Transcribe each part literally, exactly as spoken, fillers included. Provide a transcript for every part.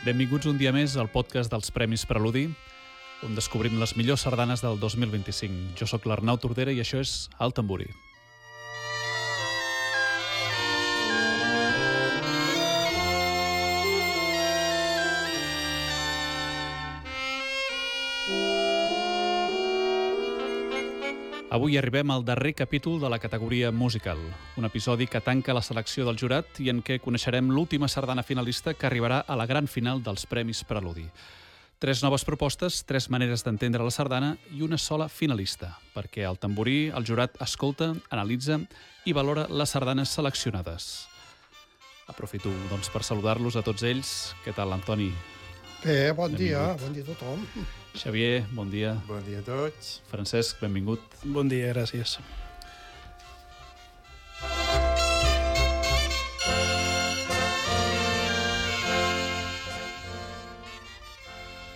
Benvinguts un dia més al podcast dels Premis Preludi, on descobrim les millors sardanes del dos mil vint-i-cinc. Jo sóc l'Arnau Tordera i això és El Tamborí. Avui arribem al darrer capítol de la categoria musical, un episodi que tanca la selecció del jurat i en què coneixerem l'última sardana finalista que arribarà a la gran final dels Premis Preludi. Tres noves propostes, tres maneres d'entendre la sardana i una sola finalista, perquè al Tamborí el jurat escolta, analitza i valora les sardanes seleccionades. Aprofito doncs, per saludar-los a tots ells. Què tal, Antoni? Bé, bon dia, bon dia a tothom. Xavier, bon dia. Bon dia a tots. Francesc, benvingut. Bon dia, gràcies.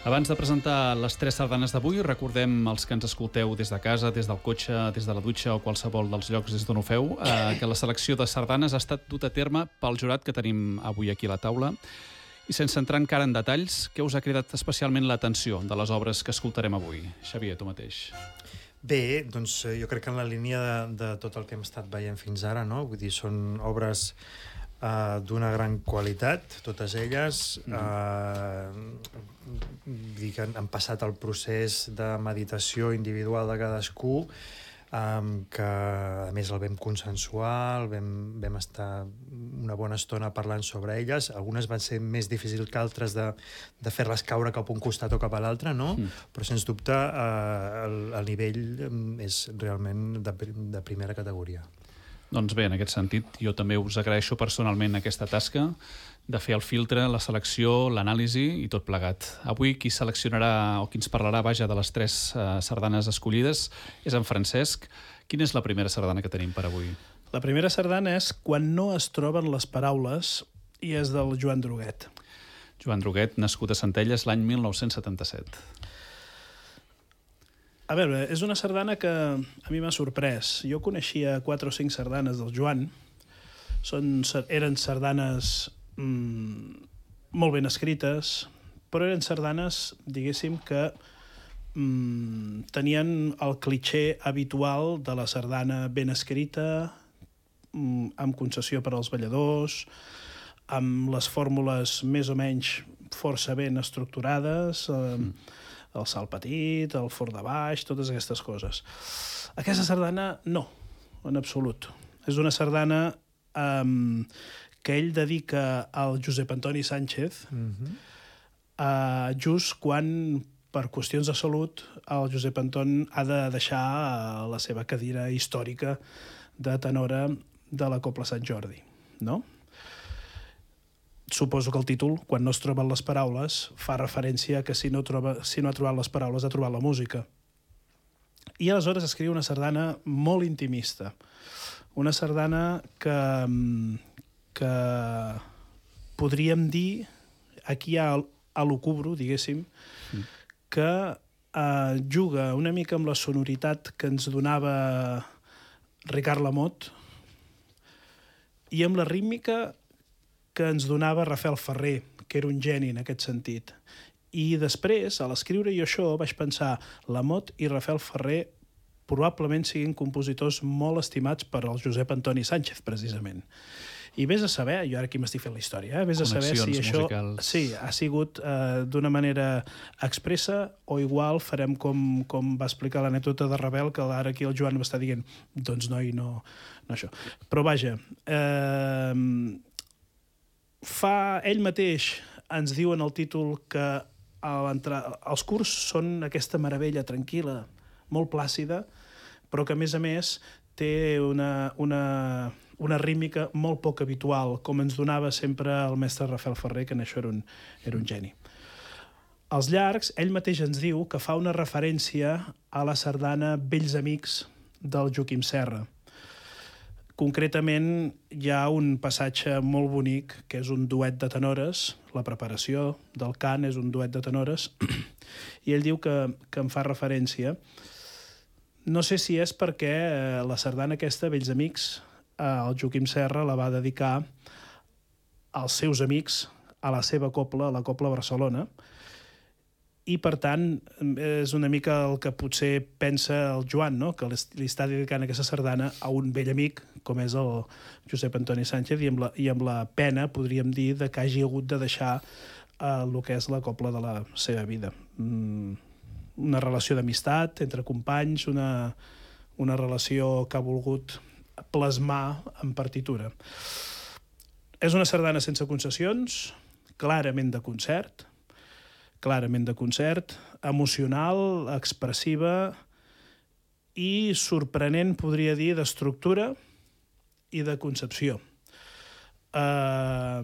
Abans de presentar les tres sardanes d'avui, recordem els que ens escolteu des de casa, des del cotxe, des de la dutxa o qualsevol dels llocs des d'on ho feu, eh, que la selecció de sardanes ha estat dut a terme pel jurat que tenim avui aquí a la taula. I sense entrar encara en detalls, què us ha cridat especialment l'atenció de les obres que escoltarem avui? Xavier, tu mateix. Bé, doncs jo crec que en la línia de, de tot el que hem estat veient fins ara, no? Vull dir, són obres uh, d'una gran qualitat, totes elles. Mm. Uh, dir que han, han passat el procés de meditació individual de cadascú, Um, que a més el vam consensuar, el vam, vam estar una bona estona parlant sobre elles. Algunes van ser més difícils que altres de, de fer-les caure cap a un costat o cap a l'altre, no? Mm. Però sens dubte uh, el, el nivell és realment de, de primera categoria. Doncs bé, en aquest sentit, jo també us agraeixo personalment aquesta tasca de fer el filtre, la selecció, l'anàlisi i tot plegat. Avui qui seleccionarà o qui ens parlarà, vaja, de les tres uh, sardanes escollides és en Francesc. Quina és la primera sardana que tenim per avui? La primera sardana és Quan no es troben les paraules i és del Joan Druguet. Joan Druguet, nascut a Centelles l'any mil nou-cents setanta-set. A veure, és una sardana que a mi m'ha sorprès. Jo coneixia quatre o cinc sardanes del Joan. Són, eren sardanes mm, molt ben escrites, però eren sardanes, diguéssim, que mm, tenien el cliché habitual de la sardana ben escrita, mm, amb concessió per als balladors, amb les fórmules més o menys força ben estructurades, eh, mm. el salt petit, el fort de baix, totes aquestes coses. Aquesta sardana, no, en absolut. És una sardana um, que ell dedica al Josep Antoni Sánchez, mm-hmm. uh, just quan, per qüestions de salut, el Josep Anton ha de deixar uh, la seva cadira històrica de tenora de la Cobla Sant Jordi, no? Suposo que el títol, Quan no es troben les paraules, fa referència que si no, troba, si no ha trobat les paraules ha trobat la música. I aleshores escriu una sardana molt intimista. Una sardana que, que podríem dir, aquí hi ha a l'ocubro, diguéssim, mm. que eh, juga una mica amb la sonoritat que ens donava Ricard Lamotte i amb la rítmica que ens donava Rafael Ferrer, que era un geni en aquest sentit. I després, a l'escriure jo això, vaig pensar, Lamotte i Rafael Ferrer probablement siguin compositors molt estimats per al Josep Antoni Sánchez, precisament. I vés a saber, jo ara aquí m'estic fent la història, eh? Vés a saber si això musicals. Sí, ha sigut eh, d'una manera expressa o igual farem com, com va explicar l'anècdota de Ravel, que ara aquí el Joan m'està dient, doncs noi, no, no això. Però vaja, eh, fa ell mateix ens diu en el títol que els curs són aquesta meravella tranquil·la, molt plàcida, però que a més a més té una, una, una rítmica molt poc habitual, com ens donava sempre el mestre Rafael Ferrer, que en això era un, era un geni. Als llargs, ell mateix ens diu que fa una referència a la sardana Vells Amics del Joaquim Serra. Concretament, hi ha un passatge molt bonic, que és un duet de tenores, la preparació del cant és un duet de tenores, i ell diu que, que em fa referència. No sé si és perquè la sardana aquesta, Vells Amics, el Joaquim Serra la va dedicar als seus amics a la seva copla, a la Copla Barcelona, i per tant és una mica el que potser pensa el Joan, no? Que li està dedicant aquesta sardana a un vell amic com és el Josep Antoni Sánchez, i amb la, i amb la pena, podríem dir, de que hagi hagut de deixar eh, el que és la copla de la seva vida. Mm, una relació d'amistat entre companys, una, una relació que ha volgut plasmar en partitura. És una sardana sense concessions, clarament de concert, clarament de concert, emocional, expressiva i sorprenent, podria dir, d'estructura i de concepció. Uh,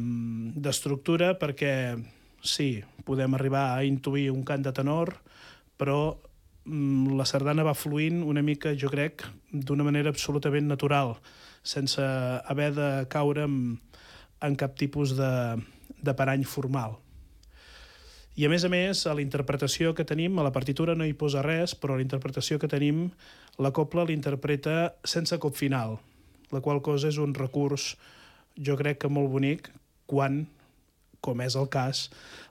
d'estructura perquè, sí, podem arribar a intuir un cant de tenor, però um, la sardana va fluint una mica, jo crec, d'una manera absolutament natural, sense haver de caure en, en cap tipus de, de parany formal. I, a més a més, a la interpretació que tenim, a la partitura no hi posa res, però a la interpretació que tenim, la copla l'interpreta sense cop final, la qual cosa és un recurs, jo crec que molt bonic, quan, com és el cas,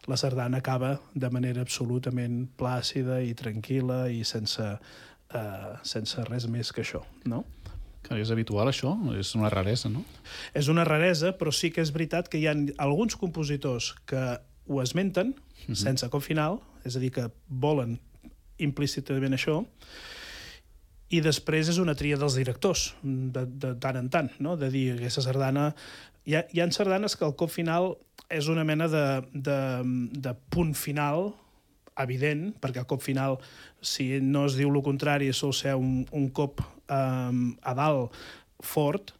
la sardana acaba de manera absolutament plàcida i tranquil·la i sense, eh, sense res més que això, no? Que és habitual, això? És una raresa, no? És una raresa, però sí que és veritat que hi ha alguns compositors que ho esmenten, uh-huh. sense cop final, és a dir, que volen implícitament això, i després és una tria dels directors, de, de tant en tant, no? De dir, aquesta sardana... Hi ha, hi ha sardanes que el cop final és una mena de, de, de punt final evident, perquè el cop final, si no es diu el contrari, sol ser un, un cop um, a dalt fort,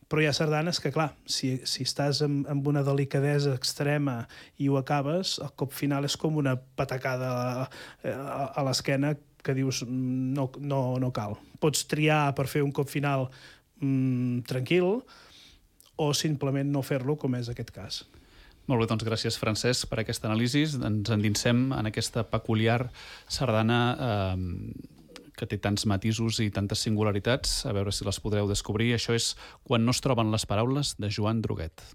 però hi ha sardanes que, clar, si, si estàs amb, amb una delicadesa extrema i ho acabes, el cop final és com una patacada a, a, a l'esquena que dius no, no, no cal. Pots triar per fer un cop final mm, tranquil o simplement no fer-lo, com és aquest cas. Molt bé, doncs gràcies, Francesc, per aquesta anàlisi. Ens endinsem en aquesta peculiar sardana eh, que té tants matisos i tantes singularitats, a veure si les podreu descobrir. Això és Quan no es troben les paraules, de Joan Droguet.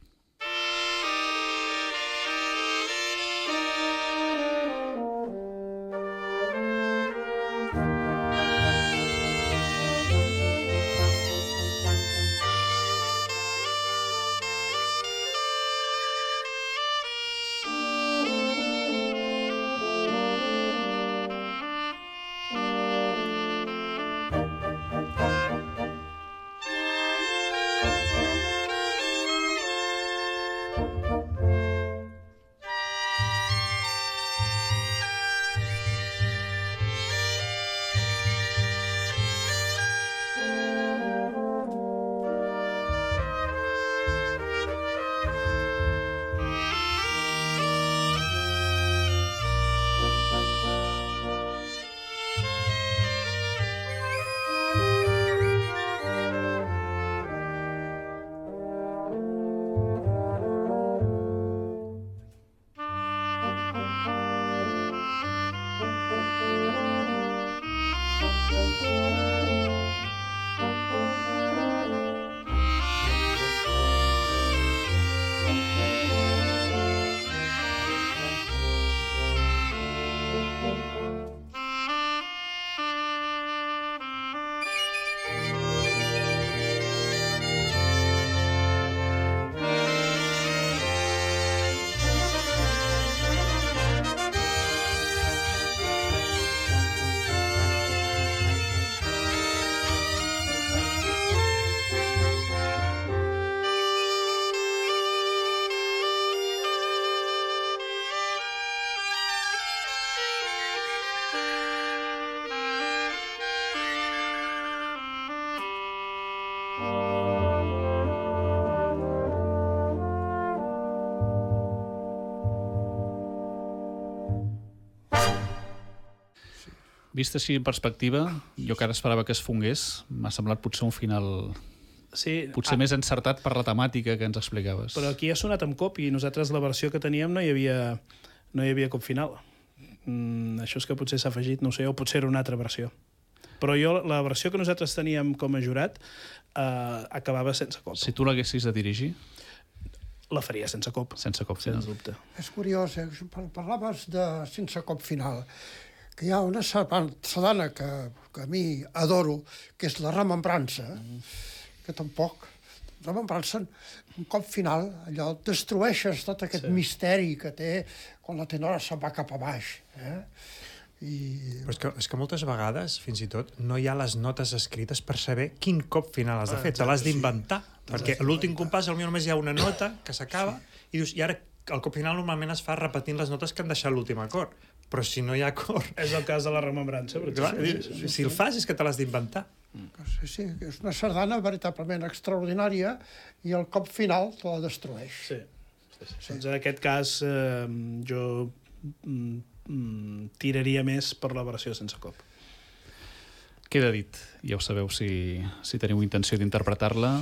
Vist així en perspectiva, jo que ara esperava que es fongués, m'ha semblat potser un final sí, potser ah, més encertat per la temàtica que ens explicaves. Però aquí ha sonat amb cop i nosaltres la versió que teníem no hi havia, no hi havia cop final. Mm, això és que potser s'ha afegit, no sé, o potser era una altra versió. Però jo, la versió que nosaltres teníem com a jurat eh, acabava sense cop. Si tu l'haguessis de dirigir? la faria sense cop. Sense cop final. Sens dubte. És curiós, eh? Parlaves de sense cop final, que hi ha una sardana que, que a mi adoro, que és la remembrança, mm. que tampoc... Remembrança, un cop final, allò, destrueixes tot aquest sí. misteri que té quan la tenora se'n va cap a baix. Eh? I... Però és que, és que moltes vegades, fins i tot, no hi ha les notes escrites per saber quin cop final has de fer. Ah, te l'has d'inventar. Sí. Perquè l'últim compàs, potser només hi ha una nota que s'acaba sí. i dius, i ara el cop final normalment es fa repetint les notes que han deixat l'últim acord. Però si no hi ha acord... És el cas de la remembrança. Clar, sí, sí, sí, si el fas és que te l'has d'inventar. Sí, sí, és una sardana veritablement extraordinària i el cop final te la destrueix. Sí. sí, sí. sí. Doncs en aquest cas eh, jo mm, tiraria més per la versió sense cop. Queda dit. Ja ho sabeu si, si teniu intenció d'interpretar-la.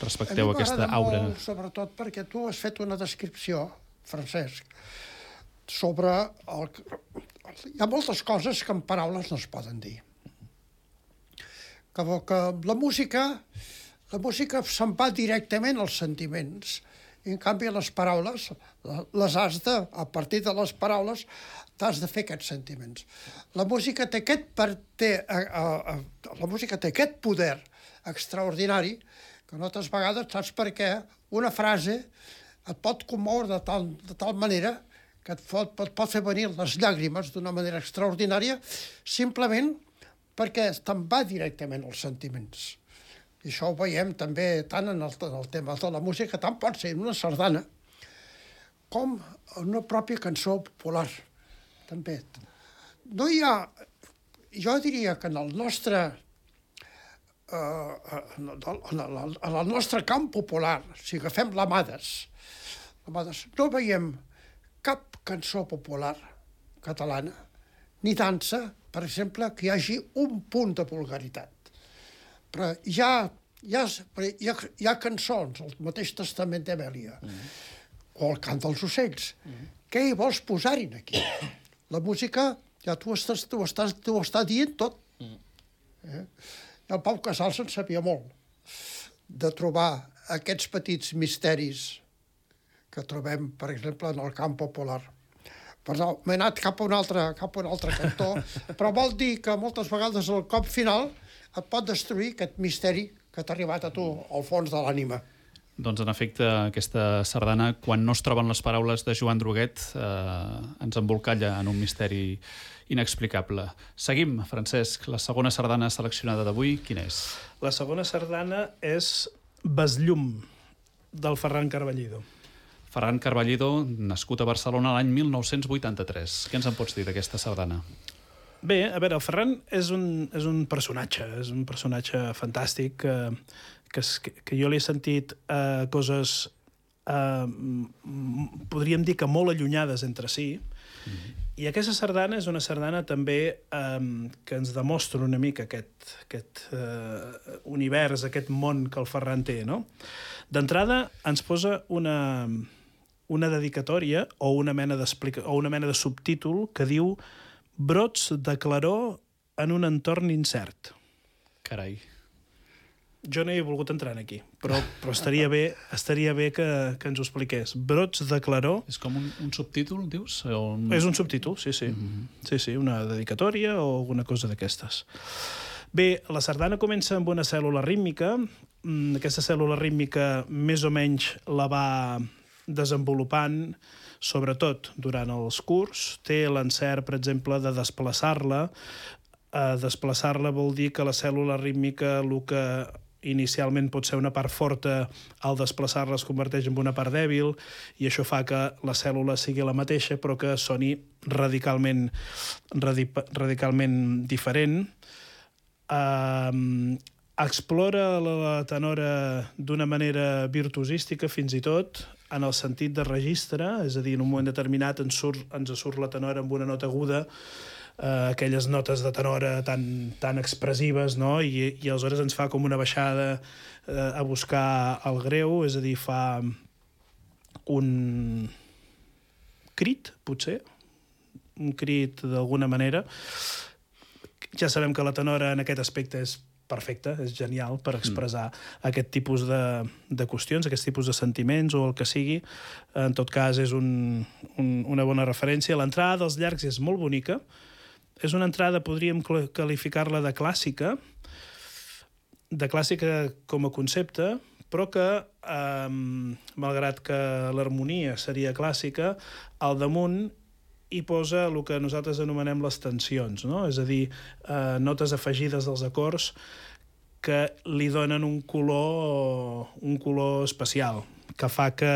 Respecteu aquesta aura. A mi m'agrada molt, sobretot perquè tu has fet una descripció, Francesc, sobre... El... Hi ha moltes coses que en paraules no es poden dir. Que, que la música, la música se'n va directament als sentiments. I, en canvi, les paraules, les has de, a partir de les paraules, t'has de fer aquests sentiments. La música té aquest, per, té, a, a, a, la música té aquest poder extraordinari que moltes vegades saps per què una frase et pot commoure de tal, de tal manera que et pot, pot, pot fer venir les llàgrimes d'una manera extraordinària simplement perquè te'n va directament als sentiments. I això ho veiem també tant en el, en el tema de la música, tant pot ser en una sardana com en una pròpia cançó popular. També. No hi ha... Jo diria que en el nostre... Uh, en, el, en el nostre camp popular, si agafem l'Amades, l'Amades, no veiem cap cançó popular catalana, ni dansa, per exemple, que hi hagi un punt de vulgaritat. Però hi ha, hi ha, hi ha, hi ha cançons, el mateix Testament d'Emèlia, mm. o el Cant dels ocells. Mm. Què hi vols posar-hi aquí? La música, ja tu estàs, tu estàs, tu estàs dient tot. Mm. Eh? El Pau Casals en sabia molt de trobar aquests petits misteris que trobem, per exemple, en el camp popular. Perdó, m'he anat cap a un altre, cap a un altre cantó, però vol dir que moltes vegades el cop final et pot destruir aquest misteri que t'ha arribat a tu al fons de l'ànima. Doncs, en efecte, aquesta sardana, quan no es troben les paraules de Joan Druguet, eh, ens embolcalla en un misteri inexplicable. Seguim, Francesc. La segona sardana seleccionada d'avui, quina és? La segona sardana és Besllum, del Ferran Carballido. Ferran Carballido, nascut a Barcelona l'any mil nou-cents vuitanta-tres. Què ens en pots dir d'aquesta sardana? Bé, a veure, el Ferran és un, és un personatge, és un personatge fantàstic que, que, que jo li he sentit eh, coses, eh, podríem dir que molt allunyades entre si, mm-hmm. I aquesta sardana és una sardana també eh, que ens demostra una mica aquest, aquest eh, univers, aquest món que el Ferran té, no? D'entrada ens posa una, una dedicatòria o una mena o una mena de subtítol que diu Brots de claror en un entorn incert. Carai. Jo no hi he volgut entrar aquí, però, però estaria bé, estaria bé que, que ens ho expliqués. Brots de claror... És com un, un subtítol, dius? O un... És un subtítol, sí, sí. Mm-hmm. Sí, sí, una dedicatòria o alguna cosa d'aquestes. Bé, la sardana comença amb una cèl·lula rítmica. Aquesta cèl·lula rítmica més o menys la va desenvolupant, sobretot durant els curs. Té l'encert, per exemple, de desplaçar-la. Uh, desplaçar-la vol dir que la cèl·lula rítmica, el que inicialment pot ser una part forta, al desplaçar-la es converteix en una part dèbil, i això fa que la cèl·lula sigui la mateixa, però que soni radicalment, radic, radicalment diferent. Uh, explora la tenora d'una manera virtuosística, fins i tot, en el sentit de registre, és a dir, en un moment determinat ens surt, ens surt la tenora amb una nota aguda, Uh, aquelles notes de tenora tan, tan expressives, no? I, i aleshores ens fa com una baixada uh, a buscar el greu, és a dir, fa un crit, potser, un crit d'alguna manera. Ja sabem que la tenora en aquest aspecte és perfecte, és genial per expressar mm. aquest tipus de, de qüestions, aquest tipus de sentiments o el que sigui. En tot cas, és un, un, una bona referència. L'entrada dels llargs és molt bonica. És una entrada, podríem qualificar-la de clàssica, de clàssica com a concepte, però que, eh, malgrat que l'harmonia seria clàssica, al damunt hi posa el que nosaltres anomenem les tensions, no? És a dir, eh, notes afegides dels acords que li donen un color, un color especial, que fa que,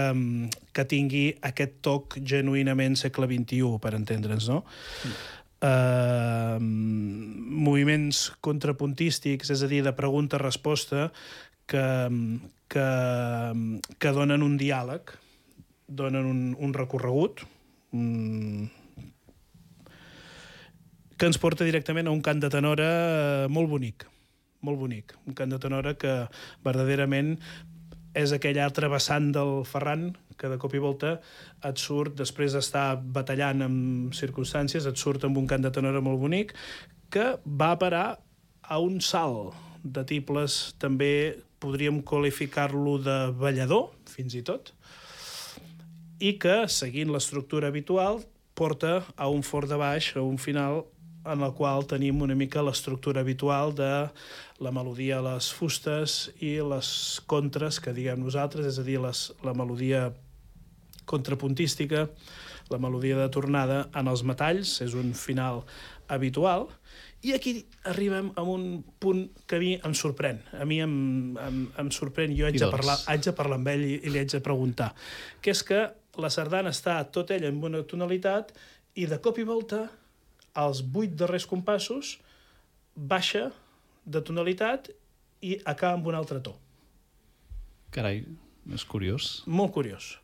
que tingui aquest toc genuïnament segle vint-i-u, per entendre'ns, no? Mm. Uh, moviments contrapuntístics, és a dir, de pregunta-resposta, que, que, que donen un diàleg, donen un, un recorregut, un, que ens porta directament a un cant de tenora molt bonic, molt bonic. Un cant de tenora que verdaderament és aquell altre vessant del Ferran que de cop i volta et surt, després d'estar batallant amb circumstàncies, et surt amb un cant de tenora molt bonic que va a parar a un salt de tibles, també podríem qualificar-lo de ballador, fins i tot, i que, seguint l'estructura habitual, porta a un fort de baix, a un final en el qual tenim una mica l'estructura habitual de la melodia a les fustes i les contres que diguem nosaltres, és a dir, les, la melodia contrapuntística, la melodia de tornada en els metalls, és un final habitual, i aquí arribem a un punt que a mi em sorprèn. A mi em, em, em sorprèn, jo haig de, parlar, haig de parlar amb ell i, i li haig de preguntar, que és que la sardana està tot ella en una tonalitat i de cop i volta als vuit darrers compassos baixa de tonalitat i acaba amb un altre to. Carai, és curiós. Molt curiós.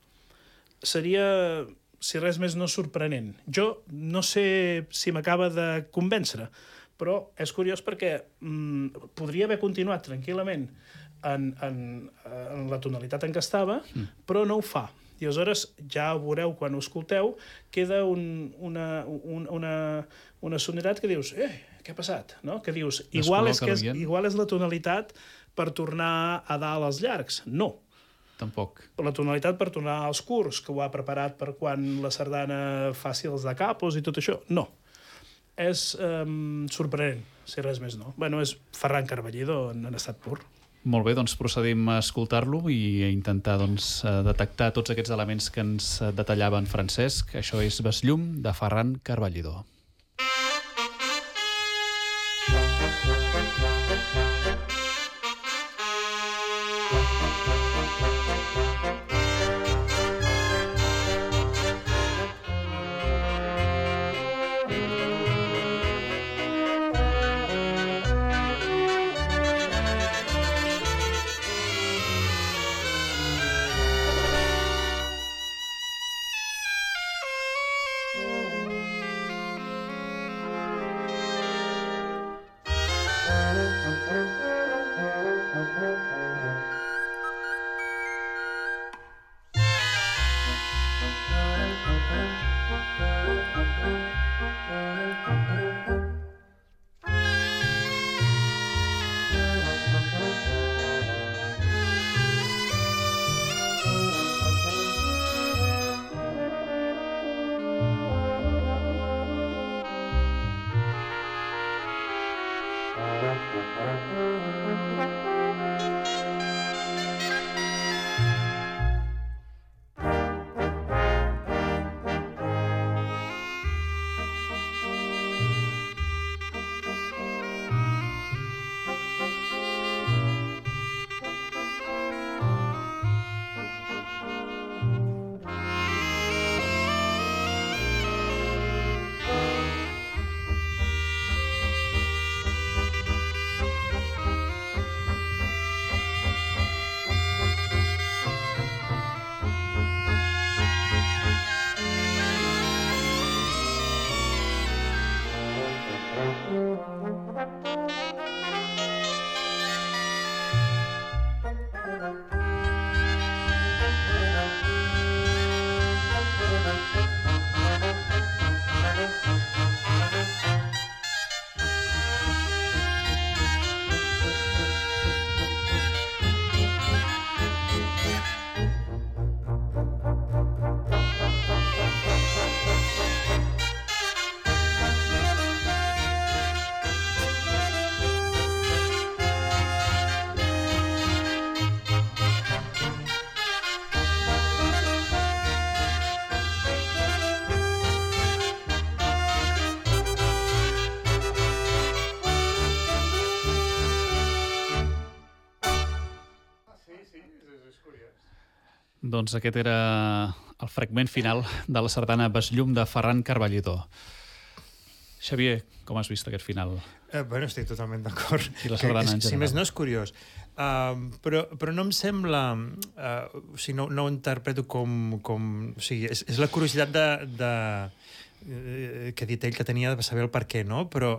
Seria, si res més, no sorprenent. Jo no sé si m'acaba de convèncer, però és curiós perquè mm, podria haver continuat tranquil·lament en, en, en la tonalitat en què estava, mm. però no ho fa. I aleshores, ja ho veureu quan ho escolteu, queda un, una, un, una, una sonoritat que dius, eh, què ha passat? No? Que dius, igual és, que és, igual és la tonalitat per tornar a dalt als llargs. No. Tampoc. La tonalitat per tornar als curts, que ho ha preparat per quan la sardana faci els de capos i tot això. No. És um, sorprenent, si res més no. Bueno, és Ferran Carballido en, en estat pur. Molt bé, doncs procedim a escoltar-lo i a intentar doncs, detectar tots aquests elements que ens detallava en Francesc. Això és Besllum, de Ferran Carballido. Doncs aquest era el fragment final de la sardana Besllum de Ferran Carballido. Xavier, com has vist aquest final? Eh, bueno, estic totalment d'acord. I la sardana és, en general. Si més no és curiós. Uh, però, però no em sembla... Uh, o sigui, no, no ho interpreto com... com o sigui, és, és la curiositat de... de eh, que ha dit ell que tenia de saber el per què, no? Però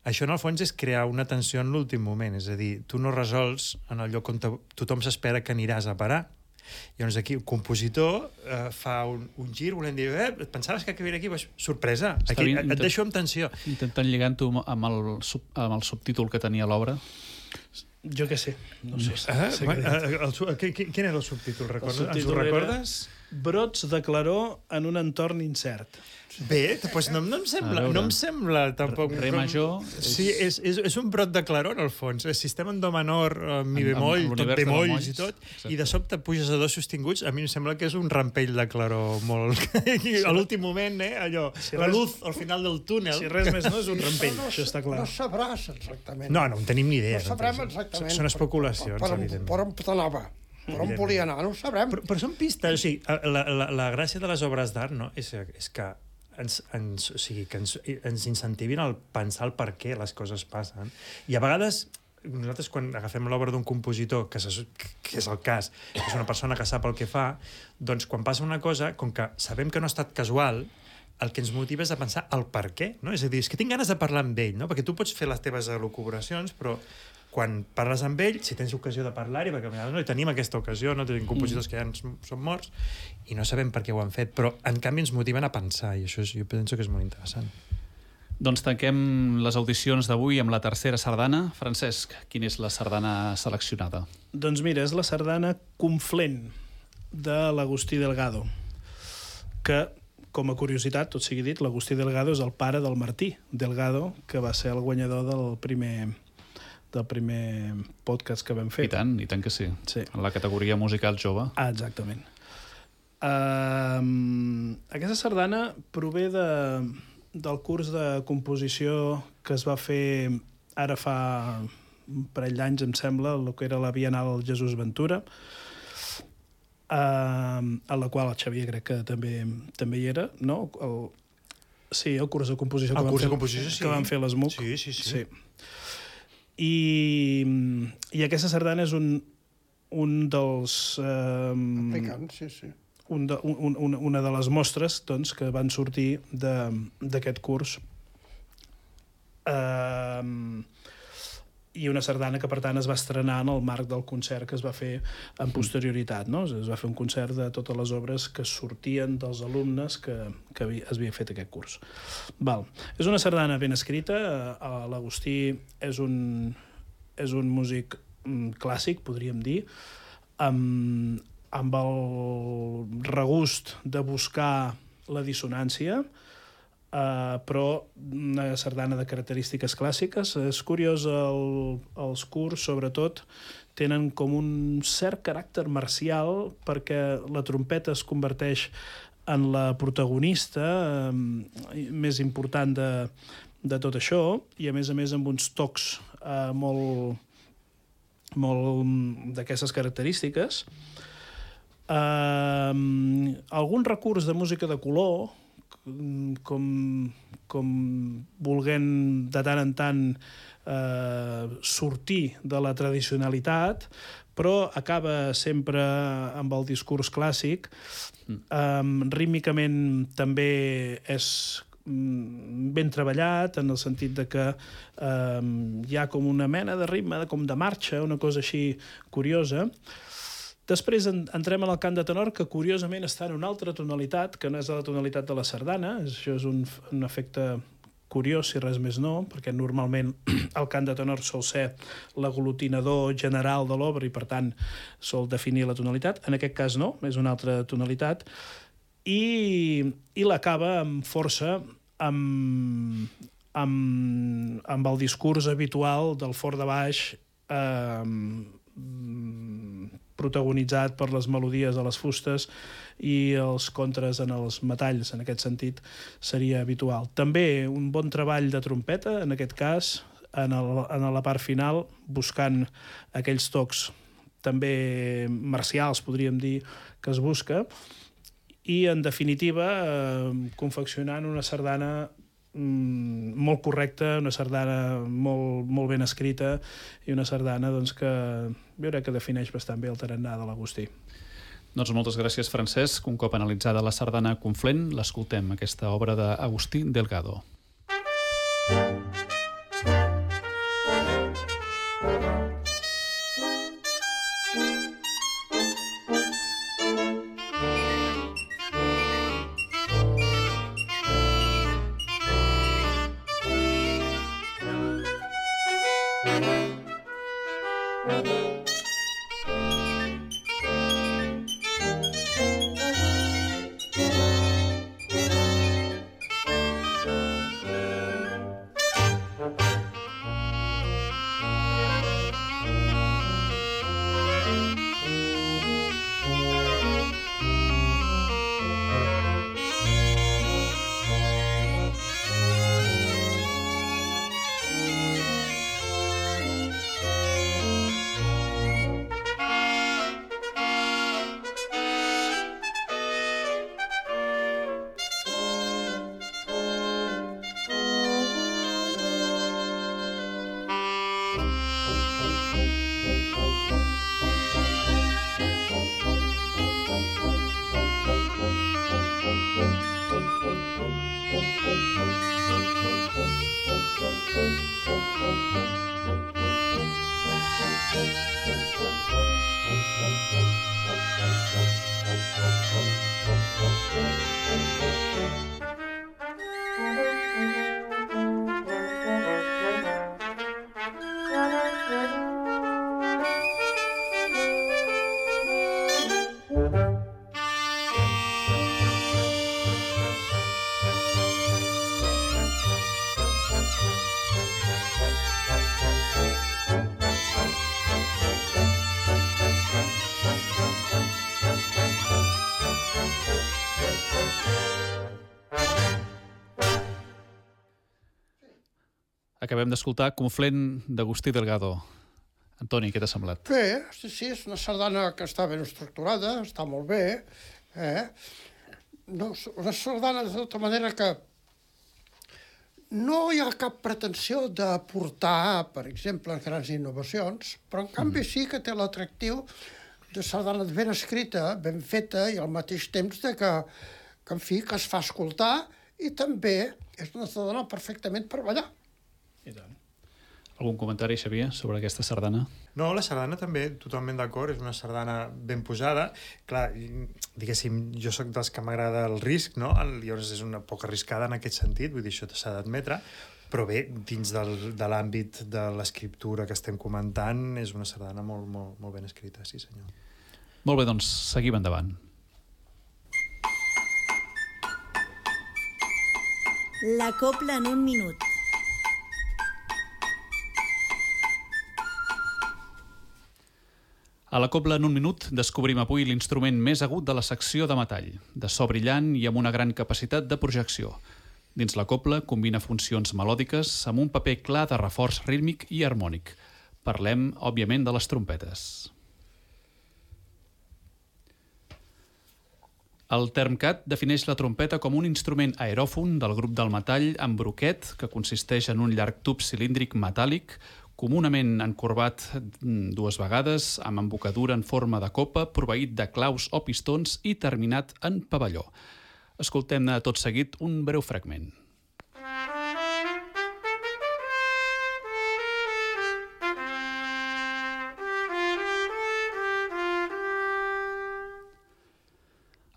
això en el fons és crear una tensió en l'últim moment. És a dir, tu no resols en el lloc on te, tothom s'espera que aniràs a parar. Llavors aquí el compositor eh, fa un, un gir volent dir, eh, pensaves que acabaria aquí? Pues, sorpresa, aquí, et, et deixo amb tensió. Intentant lligant-ho amb, el, sub, amb el subtítol que tenia l'obra. Jo què sé, no sé. Ah, sé bueno, el, el, el, quin era el subtítol? Recordes? El subtítol Ens ho recordes? Brots de claror en un entorn incert. Bé, doncs no, no, em sembla, no em sembla tampoc... Re major... Sí, és, és, és un brot de claror, al fons. És sistema en do menor, mi bemoll, tot bemolls i tot, exacte. I de sobte puges a dos sostinguts, a mi em sembla que és un rampell de claror molt... Sí. A l'últim moment, eh, allò, si la res, luz al final del túnel... Si res més no és un rampell, no, això està clar. No sabràs exactament. No, no en tenim ni idea. No sabrem exactament. Són especulacions, per, per, evidentment. per on t'anava, per on volia anar, no ho sabrem. Però, però són pistes, o sigui, la, la, la gràcia de les obres d'art, no?, és, és que ens, ens, o sigui, que ens, ens incentivin a pensar el per què les coses passen. I a vegades, nosaltres quan agafem l'obra d'un compositor, que, se, que és el cas, que és una persona que sap el que fa, doncs quan passa una cosa, com que sabem que no ha estat casual, el que ens motiva és a pensar el per què, no? És a dir, és que tinc ganes de parlar amb ell, no? Perquè tu pots fer les teves elucubracions, però quan parles amb ell, si tens ocasió de parlar-hi, perquè a vegades no hi tenim aquesta ocasió, no tenim compositors que ja són morts, i no sabem per què ho han fet, però en canvi ens motiven a pensar, i això és, jo penso que és molt interessant. Doncs tanquem les audicions d'avui amb la tercera sardana. Francesc, quina és la sardana seleccionada? Doncs mira, és la sardana Conflent, de l'Agustí Delgado, que, com a curiositat, tot sigui dit, l'Agustí Delgado és el pare del Martí Delgado, que va ser el guanyador del primer... del primer podcast que vam fer. I tant, i tant que sí. Sí. En la categoria musical jove. Ah, exactament. Uh, aquesta sardana prové de, del curs de composició que es va fer ara fa un parell d'anys, em sembla, el que era la Bienal Jesús Ventura, uh, a la qual el Xavier crec que també, també hi era, no? El, sí, el curs de composició, el que, curs van de composició fer, sí. que van fer l'S M U C. Sí, sí, sí. sí. I, i aquesta sardana és un, un dels... Eh, Aplicant, sí, sí. Un de, un, un, una de les mostres doncs, que van sortir d'aquest curs. Eh, I una sardana que, per tant, es va estrenar en el marc del concert que es va fer en posterioritat. No? Es va fer un concert de totes les obres que sortien dels alumnes que, que es havia fet aquest curs. Val. És una sardana ben escrita. L'Agustí és un, és un músic clàssic, podríem dir, amb, amb el regust de buscar la dissonància, Uh, però una sardana de característiques clàssiques. És curiós, el, els curs, sobretot, tenen com un cert caràcter marcial perquè la trompeta es converteix en la protagonista uh, més important de, de tot això, i a més a més amb uns tocs uh, molt, molt d'aquestes característiques. Uh, algun recurs de música de color, com, com volent de tant en tant eh, sortir de la tradicionalitat, però acaba sempre amb el discurs clàssic. Um, rítmicament també és ben treballat, en el sentit de que um, hi ha com una mena de ritme, com de marxa, una cosa així curiosa. Després entrem en el cant de tenor, que curiosament està en una altra tonalitat, que no és la tonalitat de la sardana. Això és un, un efecte curiós, si res més no, perquè normalment el cant de tenor sol ser l'aglutinador general de l'obra i, per tant, sol definir la tonalitat. En aquest cas no, és una altra tonalitat. I, i l'acaba amb força, amb, amb, amb el discurs habitual del fort de baix, eh, protagonitzat per les melodies de les fustes i els contres en els metalls. En aquest sentit seria habitual. També un bon treball de trompeta, en aquest cas, en, el, en la part final, buscant aquells tocs també marcials, podríem dir, que es busca, i, en definitiva, eh, confeccionant una sardana mm, molt correcta, una sardana molt, molt ben escrita i una sardana doncs, que jo crec que defineix bastant bé el tarannà de l'Agustí. Doncs moltes gràcies, Francesc. Un cop analitzada la sardana Conflent, l'escoltem, aquesta obra d'Agustí Delgado. Acabem d'escoltar Conflent d'Agustí Delgado. Antoni, què t'ha semblat? Bé, sí, sí, és una sardana que està ben estructurada, està molt bé. Eh? No, una sardana de tota manera que no hi ha cap pretensió d'aportar, per exemple, grans innovacions, però en canvi sí que té l'atractiu de sardana ben escrita, ben feta, i al mateix temps de que, que, en fi, que es fa escoltar, i també és una sardana perfectament per ballar. I tant. Algun comentari, Xavier, sobre aquesta sardana? No, la sardana també, totalment d'acord, és una sardana ben posada. Clar, diguéssim, jo sóc dels que m'agrada el risc, no? Llavors és una poc arriscada en aquest sentit, vull dir, això s'ha d'admetre, però bé, dins del, de l'àmbit de l'escriptura que estem comentant, és una sardana molt, molt, molt ben escrita, sí senyor. Molt bé, doncs seguim endavant. La copla en un minut. A la copla en un minut descobrim avui l'instrument més agut de la secció de metall, de so brillant i amb una gran capacitat de projecció. Dins la copla combina funcions melòdiques amb un paper clar de reforç rítmic i harmònic. Parlem, òbviament, de les trompetes. El Termcat defineix la trompeta com un instrument aeròfon del grup del metall amb broquet, que consisteix en un llarg tub cilíndric metàl·lic, comunament encorbat dues vegades, amb embocadura en forma de copa, proveït de claus o pistons i terminat en pavelló. Escoltem-ne tot seguit un breu fragment.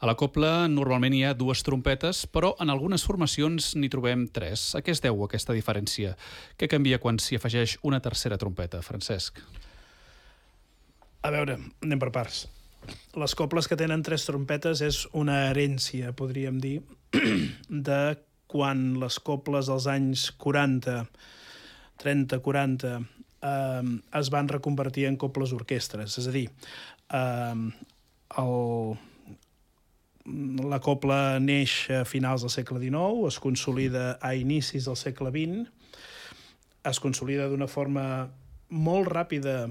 A la copla normalment hi ha dues trompetes, però en algunes formacions n'hi trobem tres. A què es deu aquesta diferència? Què canvia quan s'hi afegeix una tercera trompeta, Francesc? A veure, anem per parts. Les coples que tenen tres trompetes és una herència, podríem dir, de quan les coples dels anys quaranta, trenta, quaranta, eh, es van reconvertir en coples orquestres. És a dir, eh, el... la copla neix a finals del segle dinou, es consolida a inicis del segle vint, es consolida d'una forma molt ràpida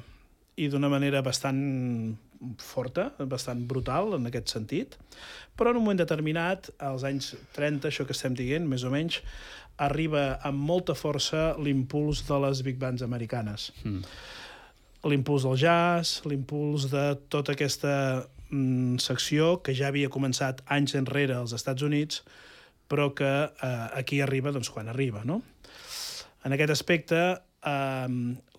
i d'una manera bastant forta, bastant brutal en aquest sentit, però en un moment determinat, als anys trenta, això que estem dient, més o menys, arriba amb molta força l'impuls de les big bands americanes. Mm. L'impuls del jazz, l'impuls de tota aquesta mm, secció que ja havia començat anys enrere als Estats Units, però que eh, aquí arriba doncs, quan arriba, no? En aquest aspecte, eh,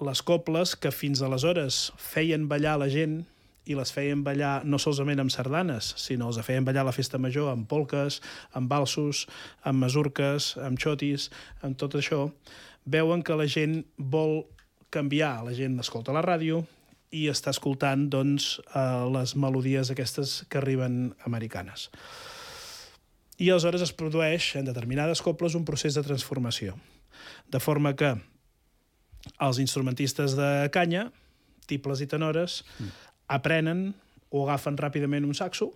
les coples que fins aleshores feien ballar la gent i les feien ballar no solament amb sardanes, sinó els feien ballar a la festa major amb polques, amb valsos, amb masurques, amb xotis, amb tot això, veuen que la gent vol canviar. La gent escolta la ràdio i està escoltant doncs, eh, les melodies aquestes que arriben americanes. I aleshores es produeix en determinades coples un procés de transformació. De forma que els instrumentistes de canya, tibles i tenores, mm. aprenen o agafen ràpidament un saxo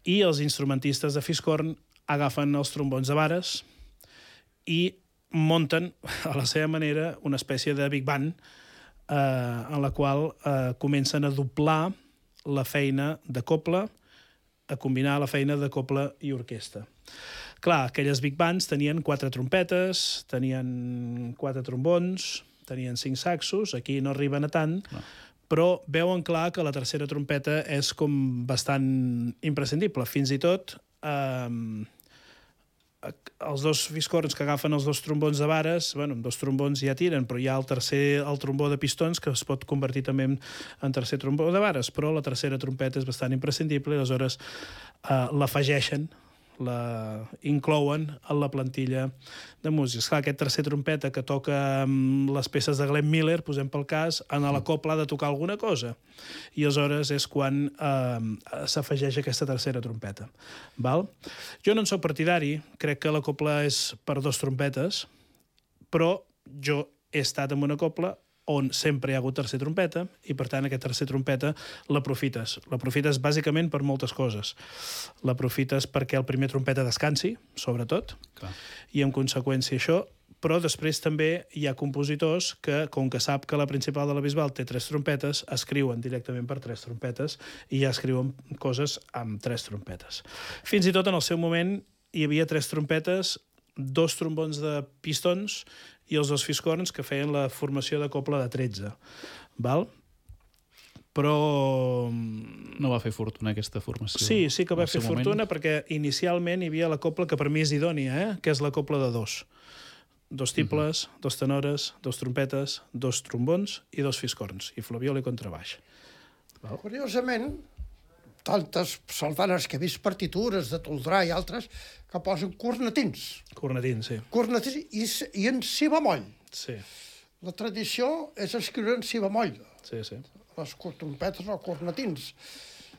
i els instrumentistes de fiscorn agafen els trombons de vares i munten a la seva manera una espècie de big band eh, en la qual eh, comencen a doblar la feina de copla, a combinar la feina de copla i orquestra. Clar, aquelles big bands tenien quatre trompetes, tenien quatre trombons, tenien cinc saxos, aquí no arriben a tant, no. Però veuen clar que la tercera trompeta és com bastant imprescindible. Fins i tot eh, els dos fiscorns que agafen els dos trombons de vares, bueno, amb dos trombons ja tiren, però hi ha el tercer, el trombó de pistons, que es pot convertir també en, en tercer trombó de vares, però la tercera trompeta és bastant imprescindible i aleshores eh, l'afegeixen, la inclouen en la plantilla de músics. Clar, aquest tercer trompeta que toca les peces de Glenn Miller, posem pel cas, en la copla ha de tocar alguna cosa. I aleshores és quan eh, s'afegeix aquesta tercera trompeta. Val? Jo no en soc partidari, crec que la copla és per dos trompetes, però jo he estat en una copla on sempre hi ha hagut tercer trompeta, i per tant aquesta tercer trompeta l'aprofites. L'aprofites bàsicament per moltes coses. L'aprofites perquè el primer trompeta descansi, sobretot, clar. I en conseqüència això, però després també hi ha compositors que, com que sap que la principal de la Bisbal té tres trompetes, escriuen directament per tres trompetes i ja escriuen coses amb tres trompetes. Fins i tot en el seu moment hi havia tres trompetes, dos trombons de pistons i els dos fiscorns que feien la formació de copla de tretze. Val? Però... No va fer fortuna aquesta formació. Sí, sí que va fer fortuna moment. Perquè inicialment hi havia la copla que per mi és idònia, eh? Que és la copla de dos. Dos tibles, uh-huh. dos tenores, dos trompetes, dos trombons i dos fiscorns, i flabiol i contrabaix. Val? Curiosament, tantes sardanes que he vist partitures de Toldrà i altres que posen cornetins. Cornetins, sí. Cornetins i, i en si bemoll. Sí. La tradició és escriure en si bemoll. Sí, sí. Les trompetes o cornetins.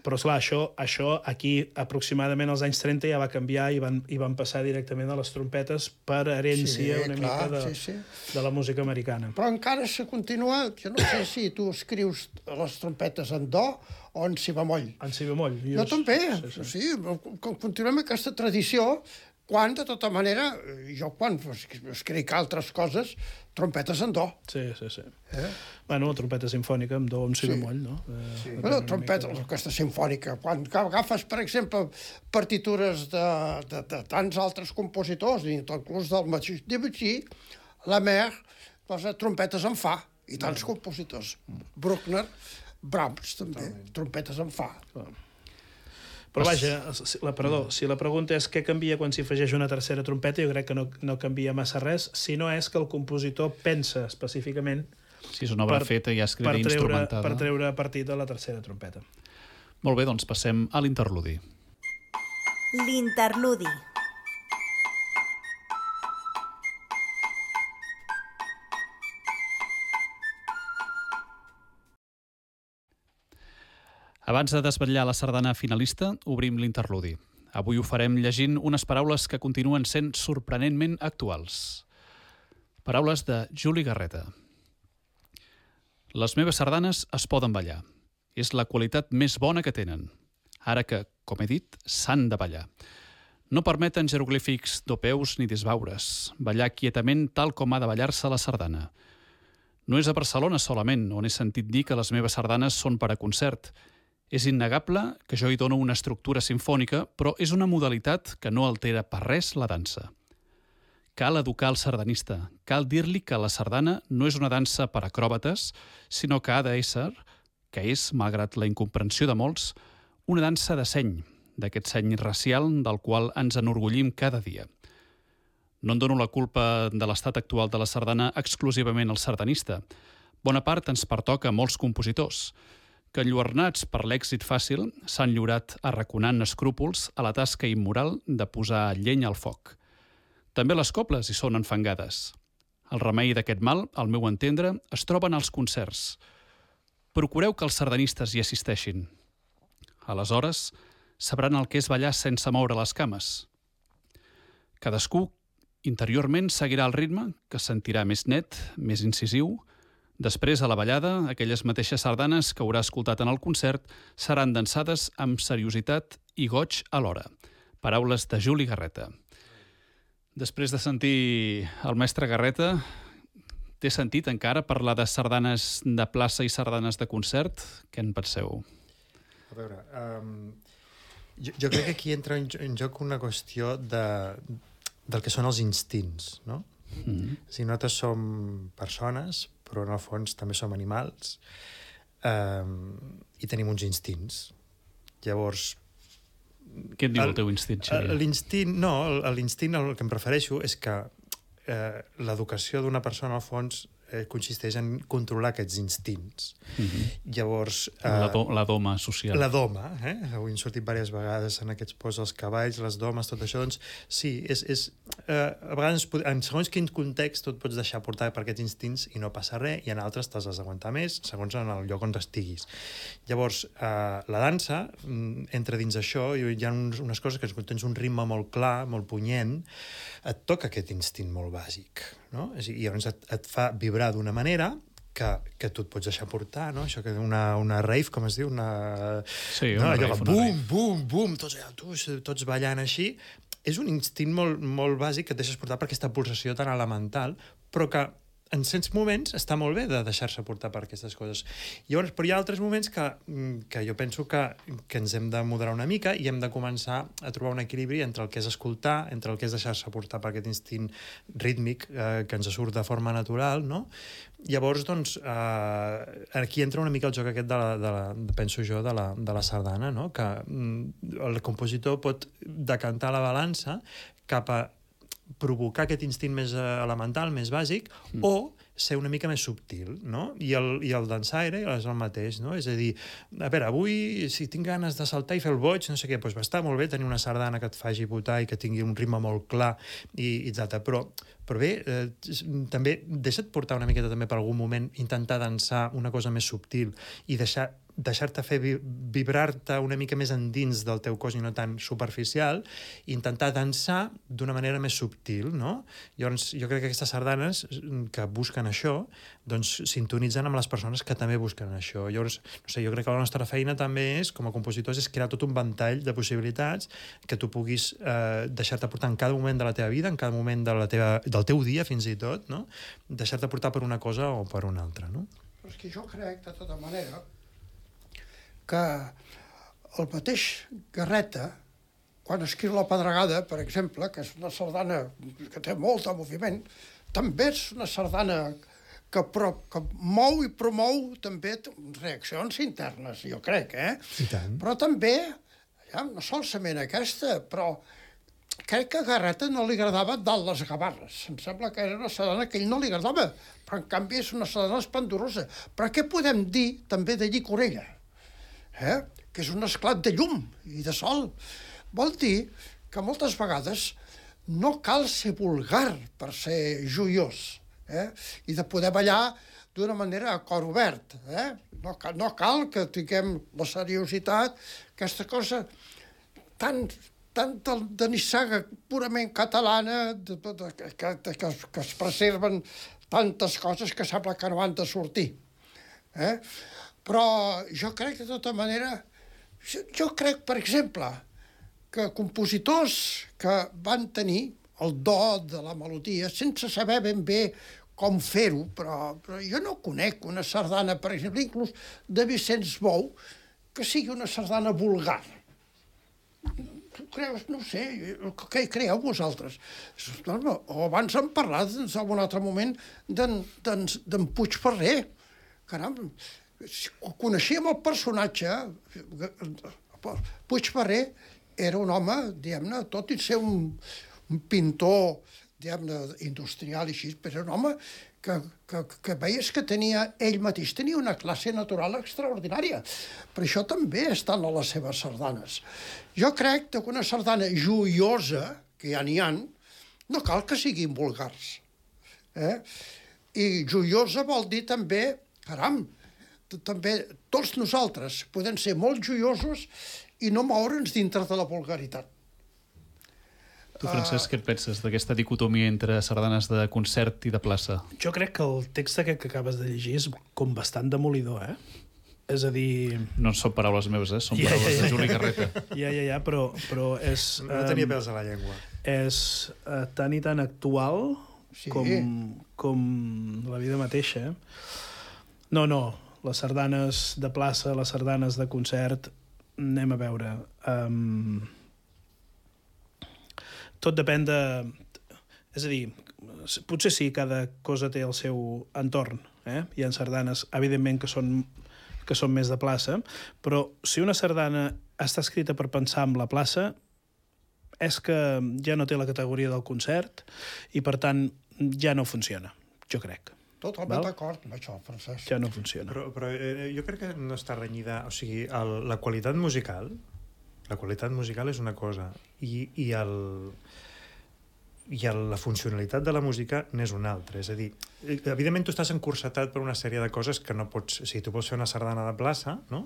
Però, esclar, això, això aquí aproximadament als anys trenta ja va canviar i van, i van passar directament a les trompetes per herència sí, una clar, mica de, sí, sí. de la música americana. Però encara se continua, jo no sé si tu escrius les trompetes en do o en si bemoll. En si bemoll. Jo, jo també, sí, sí. sí. Continuem aquesta tradició, quan, de tota manera, jo quan escric altres coses, trompetes en do. Sí, sí, sí. Eh? Bueno, trompeta sinfònica amb do amb si sí. bemoll, no? Eh, sí. Bueno, trompeta, mica... aquesta sinfònica. Quan agafes, per exemple, partitures de, de, de tants altres compositors, inclús del mateix Debussy, la Mer, posa trompetes en fa, i tants no. compositors. Bruckner, Brahms, també, Totalment. trompetes en fa. Clar. Però vaja, la, perdó, si la pregunta és què canvia quan s'hi afegeix una tercera trompeta, jo crec que no, no canvia massa res, si no és que el compositor pensa específicament si és una obra per, feta i escrita i instrumentada. Per treure partit de la tercera trompeta. Molt bé, doncs passem a l'interludi. L'interludi. Abans de desvetllar la sardana finalista, obrim l'interludi. Avui ho farem llegint unes paraules que continuen sent sorprenentment actuals. Paraules de Juli Garreta. Les meves sardanes es poden ballar. És la qualitat més bona que tenen. Ara que, com he dit, s'han de ballar. No permeten jeroglífics dopeus ni disbaures. Ballar quietament tal com ha de ballar-se la sardana. No és a Barcelona solament on he sentit dir que les meves sardanes són per a concert. És innegable que jo hi dono una estructura sinfònica, però és una modalitat que no altera per res la dansa. Cal educar el sardanista, cal dir-li que la sardana no és una dansa per acròbates, sinó que ha d'ésser, que és, malgrat la incomprensió de molts, una dansa de seny, d'aquest seny racial del qual ens enorgullim cada dia. No en dono la culpa de l'estat actual de la sardana exclusivament al sardanista. Bona part ens pertoca a molts compositors, que enlluernats per l'èxit fàcil s'han lliurat arraconant escrúpols a la tasca immoral de posar llenya al foc. També les cobles hi són enfangades. El remei d'aquest mal, al meu entendre, es troba en els concerts. Procureu que els sardanistes hi assisteixin. Aleshores, sabran el que és ballar sense moure les cames. Cadascú, interiorment, seguirà el ritme, que sentirà més net, més incisiu. Després, a la ballada, aquelles mateixes sardanes que haurà escoltat en el concert seran dansades amb seriositat i goig alhora. Paraules de Juli Garreta. Després de sentir el mestre Garreta, t'he sentit encara parlar de sardanes de plaça i sardanes de concert? Què en penseu? A veure, um, jo, jo crec que aquí entra en, en joc una qüestió de, del que són els instints, no? Mm-hmm. Si nosaltres som persones, però en el fons també som animals, um, i tenim uns instints. Llavors... Què et diu el, el teu instint, Xavier? L'instint, no, l'instint, el que em refereixo és que eh, l'educació d'una persona, al fons, eh, consisteix en controlar aquests instints. Mm-hmm. Llavors... Eh, la, do, la doma social. La doma, eh? Avui han sortit diverses vegades en aquests posts els cavalls, les domes, tot això, doncs sí, és... és eh, a vegades, en segons quin context, tu et pots deixar portar per aquests instints i no passa res, i en altres t'has d'aguantar més, segons en el lloc on estiguis. Llavors, eh, la dansa, entra dins això, i hi ha uns, unes coses que tens un ritme molt clar, molt punyent, et toca aquest instint molt bàsic, no? I llavors et, et fa vibrar d'una manera que, que tu et pots deixar portar, no? Això que una, una rave, com es diu? Una... Sí, no? una Allò rave. que bum, bum, bum, tots, allà, tots, tots ballant així. És un instint molt, molt bàsic que et deixes portar per aquesta pulsació tan elemental, però que en certs moments està molt bé de deixar-se portar per aquestes coses. Llavors, però hi ha altres moments que, que jo penso que, que ens hem de moderar una mica i hem de començar a trobar un equilibri entre el que és escoltar, entre el que és deixar-se portar per aquest instint rítmic eh, que ens surt de forma natural, no? Llavors, doncs, eh, aquí entra una mica el joc aquest de la, de la, penso jo, de la, de la sardana, no? Que mm, el compositor pot decantar la balança cap a provocar aquest instint més elemental, més bàsic, mm. o ser una mica més subtil, no? I el, i el dansaire és el mateix, no? És a dir, a veure, avui, si tinc ganes de saltar i fer el boig, no sé què, doncs va estar molt bé tenir una sardana que et faci votar i que tingui un ritme molt clar, i, i etcètera. Però, però bé, eh, també deixa't portar una miqueta també per algun moment, intentar dansar una cosa més subtil i deixar deixar-te fer vibrar-te una mica més endins del teu cos i no tan superficial, i intentar dansar d'una manera més subtil, no? Llavors, jo crec que aquestes sardanes que busquen això, doncs sintonitzen amb les persones que també busquen això. Llavors, no sé, jo crec que la nostra feina també és, com a compositors, és crear tot un ventall de possibilitats que tu puguis eh, deixar-te portar en cada moment de la teva vida, en cada moment de la teva, del teu dia, fins i tot, no? Deixar-te portar per una cosa o per una altra, no? Però és que jo crec, de tota manera, que el mateix Garreta, quan escriu La Pedregada, per exemple, que és una sardana que té molt de moviment, també és una sardana que, pro, que mou i promou també reaccions internes, jo crec, eh? I tant. Però també, ja, no solament aquesta, però crec que a Garreta no li agradava dalt les gavarres. Em sembla que era una sardana que a ell no li agradava, però en canvi és una sardana esplendorosa. Però què podem dir també de Llicorella? Eh? Que és un esclat de llum i de sol. Vol dir que moltes vegades no cal ser vulgar per ser joiós, eh? I de poder ballar d'una manera a cor obert. Eh? No, cal, no cal que tinguem la seriositat, aquesta cosa tan, tan de, de nissaga purament catalana, de, de, de, que, de, que, que es preserven tantes coses que sembla que no han de sortir. Eh? Però jo crec, de tota manera, jo crec, per exemple, que compositors que van tenir el do de la melodia, sense saber ben bé com fer-ho, però, però jo no conec una sardana, per exemple, inclús de Vicenç Bou, que sigui una sardana vulgar. Tu creus, no sé, què hi creieu vosaltres? O abans hem parlat, en un altre moment, d'en Puigferrer. Caram, coneixíem el personatge. Puigferrer era un home, diguem-ne, tot i ser un, un pintor, diguem-ne, industrial i així, però era un home que, que, que veies que tenia, ell mateix tenia una classe natural extraordinària. Per això també estan a les seves sardanes. Jo crec que una sardana joiosa, que ja n'hi ha, no cal que siguin vulgars. Eh? I joiosa vol dir també, caram, també tots nosaltres podem ser molt joiosos i no moure'ns dintre de la vulgaritat. Tu, Francesc, què et penses d'aquesta dicotomia entre sardanes de concert i de plaça? Jo crec que el text aquest que acabes de llegir és com bastant demolidor, eh? És a dir... No són paraules meves, eh? Són Ja, paraules ja, ja. de Juli Garreta. Ja, ja, ja, però, però és... No tenia em, pèls a la llengua. És uh, tan i tan actual Sí. com, com la vida mateixa. No, no, les sardanes de plaça, les sardanes de concert, anem a veure... Um, tot depèn de... És a dir, potser sí, cada cosa té el seu entorn. Eh? Hi ha sardanes, evidentment, que són, que són més de plaça, però si una sardana està escrita per pensar en la plaça, és que ja no té la categoria del concert i, per tant, ja no funciona, jo crec. Totalment Val? d'acord amb això, Francesc. Ja no funciona. Però, però eh, jo crec que no està renyida... O sigui, el, la qualitat musical... La qualitat musical és una cosa i, i, el, i el, la funcionalitat de la música n'és una altra. És a dir, evidentment tu estàs encursetat per una sèrie de coses que no pots... O sigui, tu vols fer una sardana de plaça, no?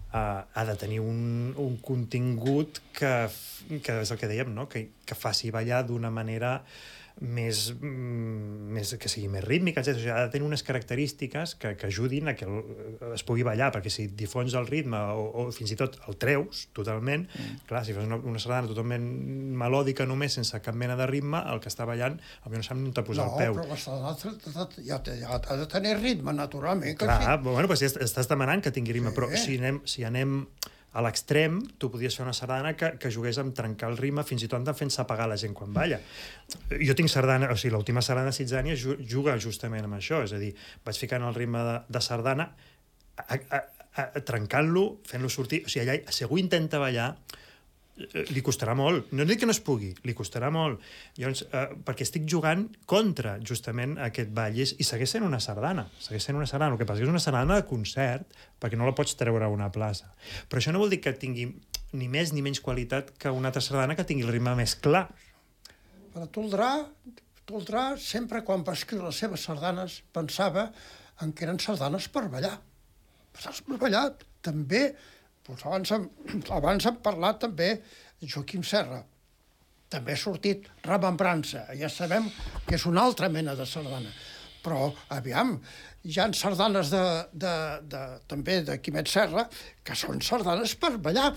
Uh, ha de tenir un, un contingut que, que és el que dèiem, no? que, que faci ballar d'una manera més, mm, més, que sigui més rítmica, etcètera. O sigui, ha de tenir unes característiques que, que ajudin a que el, es pugui ballar, perquè si difons el ritme o, o fins i tot el treus totalment, mm. clar, si fas una, una sardana totalment melòdica només, sense cap mena de ritme, el que està ballant, potser no sap on t'ha posat no, el peu. No, però la sardana ja, ja ha de tenir ritme, naturalment. Que Clar, sí. bueno, pues, estàs demanant que tingui ritme, Sí. però si anem, si anem a l'extrem, tu podries fer una sardana que, que jugués amb trencar el ritme, fins i tot fent-se apagar la gent quan balla. Jo tinc sardana, o sigui, l'última sardana de Sitzània juga justament amb això, és a dir, vaig ficant el ritme de, de sardana, a, a, a, trencant-lo, fent-lo sortir, o sigui, allà, si algú intenta ballar, li costarà molt. No dic que no es pugui, li costarà molt. Llavors, eh, perquè estic jugant contra, justament, aquest ball. I, i segueix sent una sardana. Segueix sent una sardana. El que passa és que és una sardana de concert, perquè no la pots treure a una plaça. Però això no vol dir que tingui ni més ni menys qualitat que una altra sardana que tingui el ritme més clar. Però Toldrà, Toldrà, sempre quan va escriure les seves sardanes, pensava en que eren sardanes per ballar. Sardanes per ballar, també... Doncs abans, hem, abans hem parlat també de Joaquim Serra. També ha sortit Remembrança. Ja sabem que és una altra mena de sardana. Però, aviam, hi ha sardanes de, de, de, també de Quimet Serra que són sardanes per ballar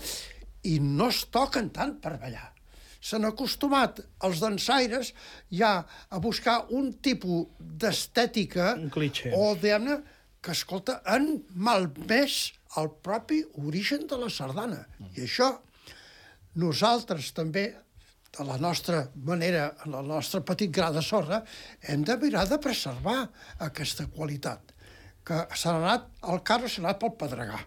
i no es toquen tant per ballar. S'han acostumat els dansaires ja a buscar un tipus d'estètica Un cliché. o, diguem-ne, que, escolta, han malmès el propi origen de la sardana. I això, nosaltres també, de la nostra manera, en el nostre petit gra de sorra, hem de mirar de preservar aquesta qualitat, que s'ha anat, el carro s'ha anat pel pedregar.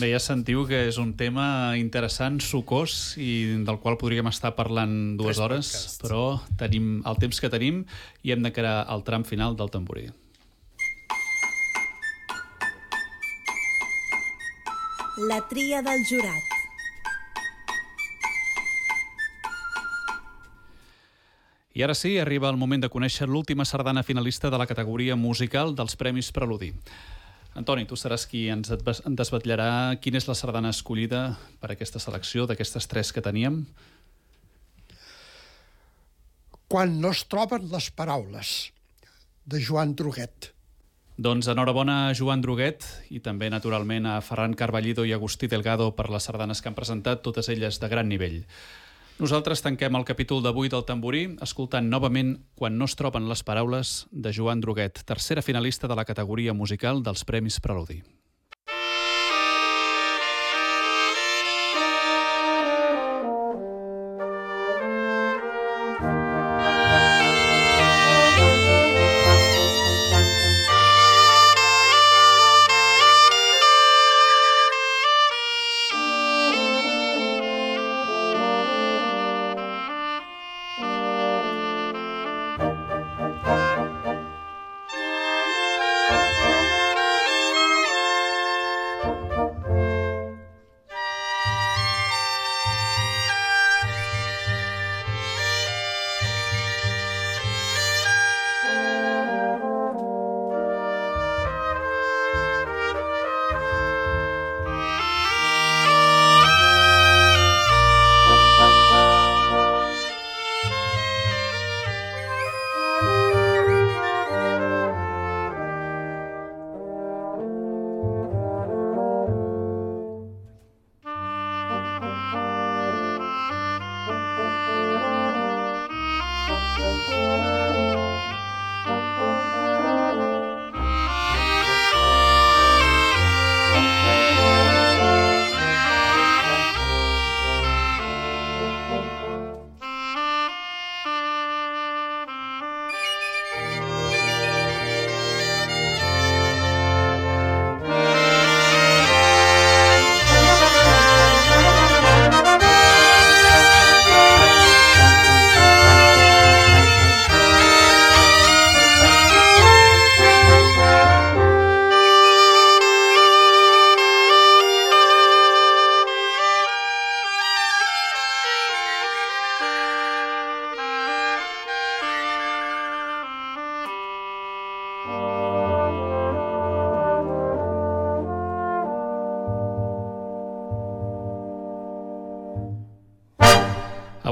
Bé, ja sentiu que és un tema interessant, sucós, i del qual podríem estar parlant dues Tres hores, podcasts. però tenim el temps que tenim i hem d'encarar el tram final del tamborí. La tria del jurat. I ara sí, arriba el moment de conèixer l'última sardana finalista de la categoria musical dels Premis Preludi. Antoni, tu seràs qui ens desvetllarà quina és la sardana escollida per aquesta selecció d'aquestes tres que teníem. Quan no es troben les paraules, de Joan Droguet. Doncs enhorabona a Joan Droguet i també, naturalment, a Ferran Carballido i Agustí Delgado per les sardanes que han presentat, totes elles de gran nivell. Nosaltres tanquem el capítol d'avui del Tamborí escoltant novament Quan no es troben les paraules de Joan Droguet, tercera finalista de la categoria musical dels Premis Preludi.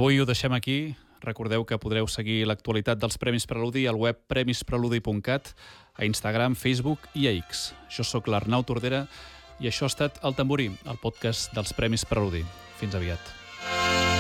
Avui ho deixem aquí. Recordeu que podreu seguir l'actualitat dels Premis Preludi al web premis preludi punt cat, a Instagram, Facebook i a X. Jo sóc l'Arnau Tordera i això ha estat El Tamborí, el podcast dels Premis Preludi. Fins aviat.